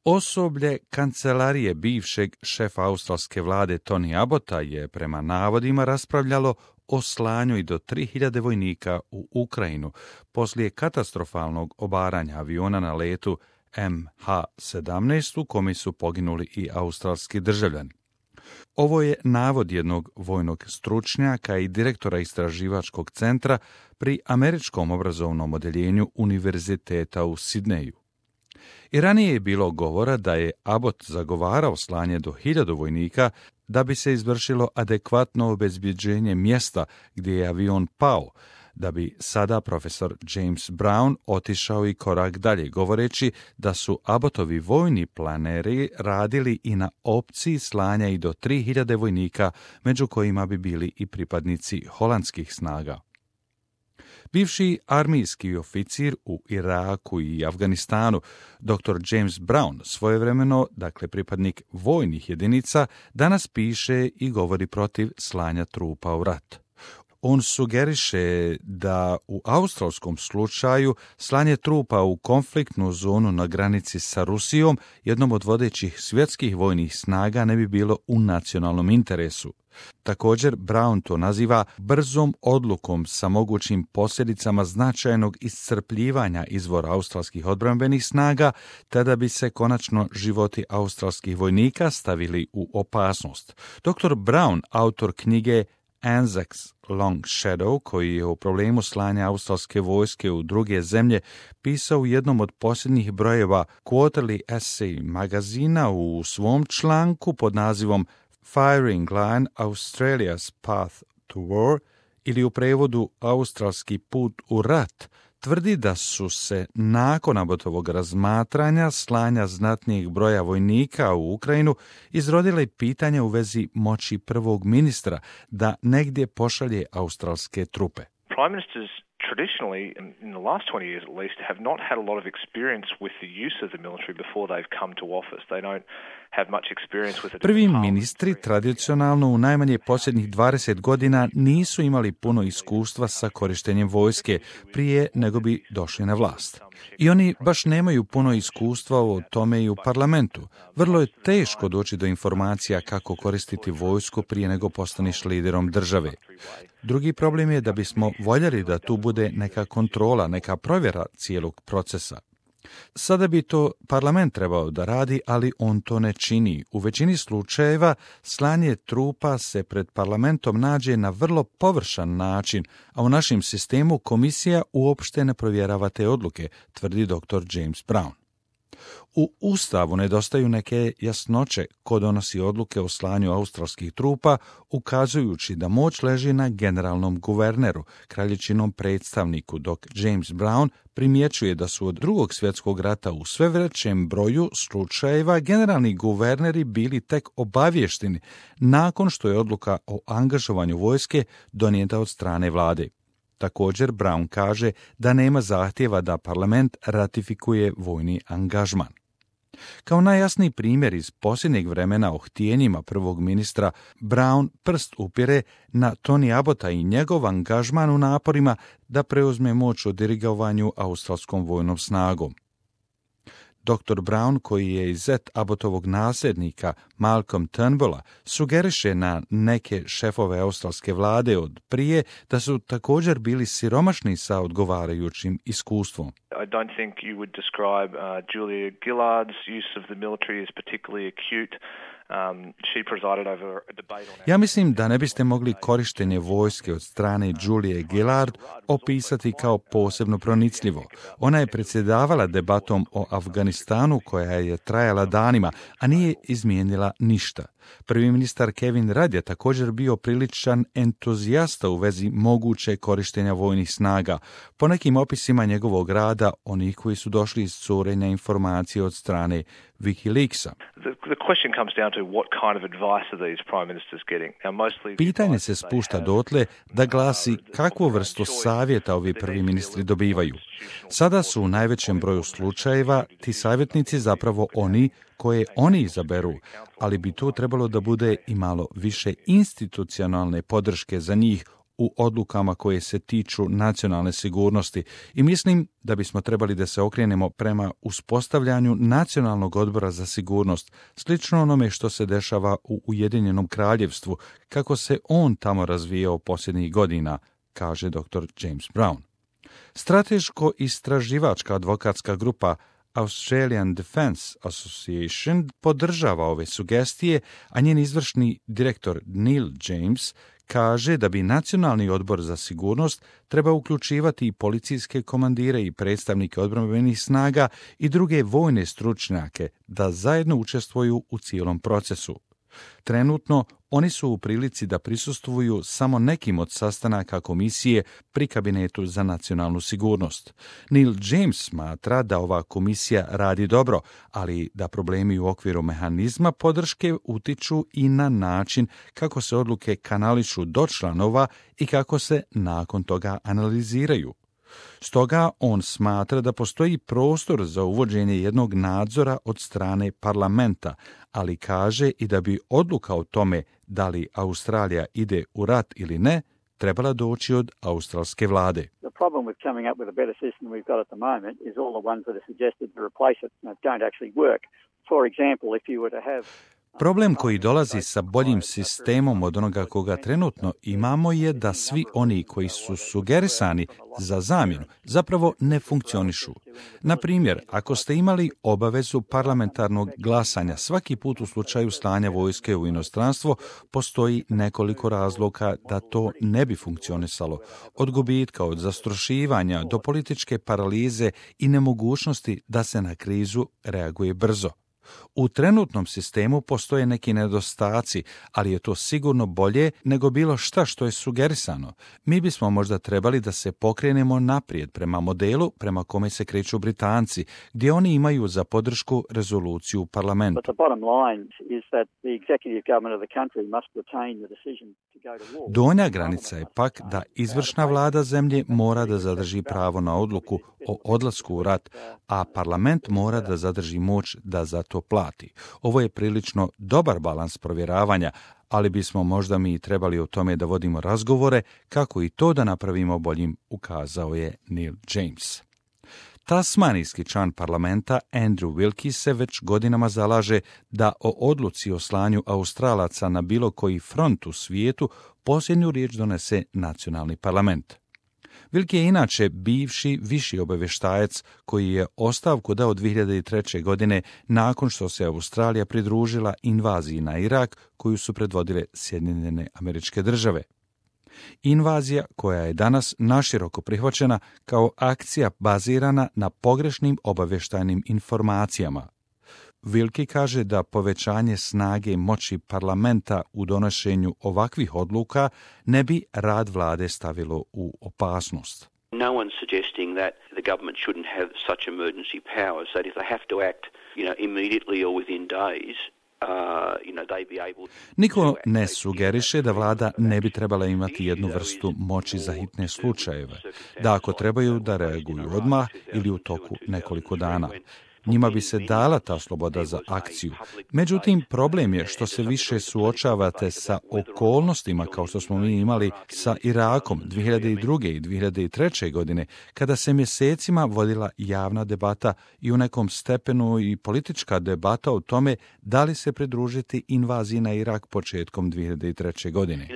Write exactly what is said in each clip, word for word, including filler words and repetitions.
Osoblje kancelarije bivšeg šefa australske vlade Tony Abbotta je prema navodima raspravljalo o slanju i do tri hiljade vojnika u Ukrajinu poslije katastrofalnog obaranja aviona na letu M H sedamnaest u kome su poginuli i australski državljani. Ovo je navod jednog vojnog stručnjaka i direktora istraživačkog centra pri Američkom obrazovnom odjeljenju Univerziteta u Sidneju. I ranije je bilo govora da je Abbott zagovarao slanje do hiljadu vojnika da bi se izvršilo adekvatno obezbjeđenje mjesta gdje je avion pao, da bi sada profesor James Brown otišao i korak dalje, govoreći da su Abbottovi vojni planeri radili i na opciji slanja i do tri hiljade vojnika, među kojima bi bili i pripadnici holandskih snaga. Bivši armijski oficir u Iraku i Afganistanu, doktor James Brown, svojevremeno, dakle pripadnik vojnih jedinica, danas piše i govori protiv slanja trupa u rat. On sugeriše da u australskom slučaju slanje trupa u konfliktnu zonu na granici sa Rusijom, jednom od vodećih svjetskih vojnih snaga, ne bi bilo u nacionalnom interesu. Također, Brown to naziva brzom odlukom sa mogućim posljedicama značajnog iscrpljivanja izvora australskih odbrambenih snaga, tada bi se konačno životi australskih vojnika stavili u opasnost. doktor Brown, autor knjige Anzacs Long Shadow, koji je o problemu slanja australske vojske u druge zemlje pisao u jednom od posljednjih brojeva Quarterly Essay magazina u svom članku pod nazivom Firing Line Australia's Path to War, ili u prevodu Australski put u rat, tvrdi da su se nakon Abbottovog razmatranja slanja znatnijeg broja vojnika u Ukrajinu izrodile pitanja u vezi moći prvog ministra da negdje pošalje australske trupe. Prime ministers traditionally, in the last twenty years at least, have not had a lot of experience with the use of the military before they've come to office. They don't have much experience with it. Prvi ministri tradicionalno u najmanje posljednjih dvadeset godina nisu imali puno iskustva sa korištenjem vojske prije nego bi došli na vlast. I oni baš nemaju puno iskustva o tome i u parlamentu. Vrlo je teško doći do informacija kako koristiti vojsku prije nego postaneš liderom države. Drugi problem je da bismo voljeli da tu bude neka kontrola, neka provjera cijelog procesa. Sada bi to parlament trebao da radi, ali on to ne čini. U većini slučajeva slanje trupa se pred parlamentom nađe na vrlo površan način, a u našem sistemu komisija uopšte ne provjerava te odluke, tvrdi doktor James Brown. U Ustavu nedostaju neke jasnoće ko donosi odluke o slanju australskih trupa, ukazujući da moć leži na generalnom guverneru, kralječinom predstavniku, dok James Brown primjećuje da su od drugog svjetskog rata u sve većem broju slučajeva generalni guverneri bili tek obavješteni nakon što je odluka o angažovanju vojske donijeta od strane vlade. Također, Brown kaže da nema zahtjeva da parlament ratifikuje vojni angažman. Kao najjasniji primjer iz posljednjeg vremena o htjenjima prvog ministra, Brown prst upire na Tony Abbotta i njegov angažman u naporima da preuzme moć o dirigovanju australskom vojnom snagom. doktor Brown, koji je iz zet Abbottovog nasljednika Malcolm Turnbulla, sugeriše na neke šefove australske vlade od prije da su također bili siromašni sa odgovarajućim iskustvom. I don't think you would describe uh, Julia Gillard's use of the military as particularly acute. Um, she presided over a debate on... Ja mislim da ne biste mogli korištenje vojske od strane Julie Gillard opisati kao posebno pronicljivo. Ona je predsjedavala debatom o Afganistanu koja je trajala danima, a nije izmijenila ništa. Prvi ministar Kevin Rudd je također bio priličan entuzijasta u vezi moguće korištenja vojnih snaga. Po nekim opisima njegovog rada, onih koji su došli iz curenja informacije od strane WikiLeaksa. Pitanje se spušta dotle da glasi kakvu vrstu savjeta ovi prvi ministri dobivaju. Sada su u najvećem broju slučajeva ti savjetnici zapravo oni koje oni izaberu, ali bi tu trebalo da bude i malo više institucionalne podrške za njih u odlukama koje se tiču nacionalne sigurnosti i mislim da bismo trebali da se okrenemo prema uspostavljanju nacionalnog odbora za sigurnost, slično onome što se dešava u Ujedinjenom kraljevstvu, kako se on tamo razvijao posljednjih godina, kaže doktor James Brown. Strateško-istraživačka advokatska grupa Australian Defence Association podržava ove sugestije, a njen izvršni direktor Neil James kaže da bi Nacionalni odbor za sigurnost treba uključivati i policijske komandire i predstavnike odbrambenih snaga i druge vojne stručnjake da zajedno učestvuju u cijelom procesu. Trenutno oni su u prilici da prisustvuju samo nekim od sastanaka komisije pri Kabinetu za nacionalnu sigurnost. Neil James smatra da ova komisija radi dobro, ali da problemi u okviru mehanizma podrške utiču i na način kako se odluke kanališu do članova i kako se nakon toga analiziraju. Stoga on smatra da postoji prostor za uvođenje jednog nadzora od strane parlamenta, ali kaže i da bi odluka o tome da li Australija ide u rat ili ne trebala doći od australske vlade. The problem with coming up with a better system than we've got at the moment is all the ones that are suggested to replace it don't actually work. For example, if you were to have Problem koji dolazi sa boljim sistemom od onoga koga trenutno imamo je da svi oni koji su sugerisani za zamjenu zapravo ne funkcionišu. Na primjer, ako ste imali obavezu parlamentarnog glasanja svaki put u slučaju slanja vojske u inostranstvo, postoji nekoliko razloga da to ne bi funkcionisalo. Od gubitka, od zastrašivanja do političke paralize i nemogućnosti da se na krizu reaguje brzo. U trenutnom sistemu postoje neki nedostaci, ali je to sigurno bolje nego bilo šta što je sugerisano. Mi bismo možda trebali da se pokrenemo naprijed prema modelu prema kome se kreću Britanci, gdje oni imaju za podršku rezoluciju u parlamentu. Donja granica je pak da izvršna vlada zemlje mora da zadrži pravo na odluku o odlasku u rat, a parlament mora da zadrži moć da za to plati. Ovo je prilično dobar balans provjeravanja, ali bismo možda mi trebali o tome da vodimo razgovore kako i to da napravimo boljim, ukazao je Neil James. Tasmanijski član parlamenta Andrew Wilkie se već godinama zalaže da o odluci o slanju Australaca na bilo koji front u svijetu posljednju riječ donese nacionalni parlament. Wilkie je inače bivši viši obavještajac koji je ostavku dao dvije hiljade treće. godine nakon što se Australija pridružila invaziji na Irak koju su predvodile Sjedinjene Američke Države. Invazija koja je danas naširoko prihvaćena kao akcija bazirana na pogrešnim obavještajnim informacijama. Wilkie kaže da povećanje snage i moći parlamenta u donošenju ovakvih odluka ne bi rad vlade stavilo u opasnost. No one's suggesting that the government shouldn't have such emergency powers, that if they have to act, you know, immediately or within days, Uh, you know, they be able Niko ne sugeriše da vlada ne bi trebala imati jednu vrstu moći za hitne slučajeve, da ako trebaju da reaguju odmah ili u toku nekoliko dana. Njima bi se dala ta sloboda za akciju. Međutim, problem je što se više suočavate sa okolnostima kao što smo mi imali sa Irakom dvije hiljade druge. i dvije hiljade treće. godine, kada se mjesecima vodila javna debata i u nekom stepenu i politička debata o tome da li se pridružiti invaziji na Irak početkom dvije hiljade treće. godine.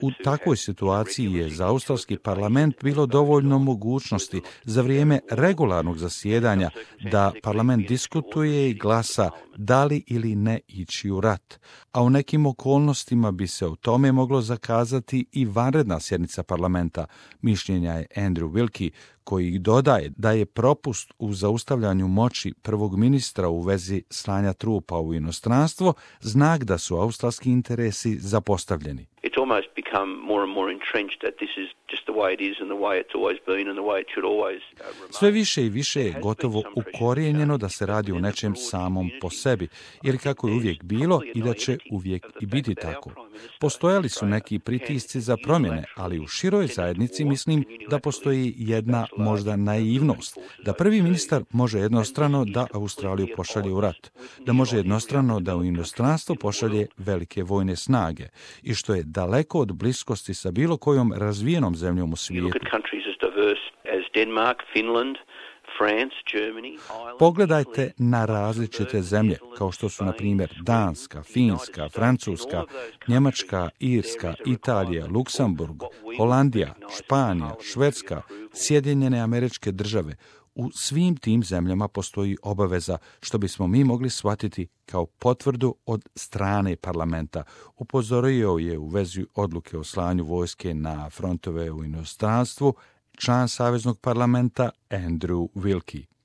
U takvoj situaciji je za australski parlament bilo dovoljno mogućnosti za vrijeme regularnog zasjedanja da parlament diskutuje i glasa da li ili ne ići u rat, a u nekim okolnostima bi se o tome moglo zakazati i vanredna sjednica parlamenta, mišljenja je Andrew Wilkie, koji dodaje da je propust u zaustavljanju moći prvog ministra u vezi slanja trupa u inostranstvo znak da su australski interesi zapostavljeni. it's almost become more and more entrenched that this is just the way it is and the way it's always been and the way it should always uh, remain. Sve više i više je gotovo ukorijenjeno da se radi o nečem samom po sebi, ili kako je uvijek bilo i da će uvijek i biti tako. Postojali su neki pritisci za promjene, ali u široj zajednici mislim da postoji jedna možda naivnost, da prvi ministar može jednostrano da Australiju pošalje u rat, da može jednostrano da u inostranstvo pošalje velike vojne snage i što je daleko od bliskosti sa bilo kojom razvijenom zemljom u svijetu. Pogledajte na različite zemlje, kao što su, na primjer, Danska, Finska, Francuska, Njemačka, Irska, Italija, Luksemburg, Holandija, Španija, Švedska, Sjedinjene Američke Države. U svim tim zemljama postoji obaveza, što bismo mi mogli shvatiti kao potvrdu od strane parlamenta. Upozorio je u vezi odluke o slanju vojske na frontove u inostranstvu član Saveznog parlamenta Andrew Wilkie.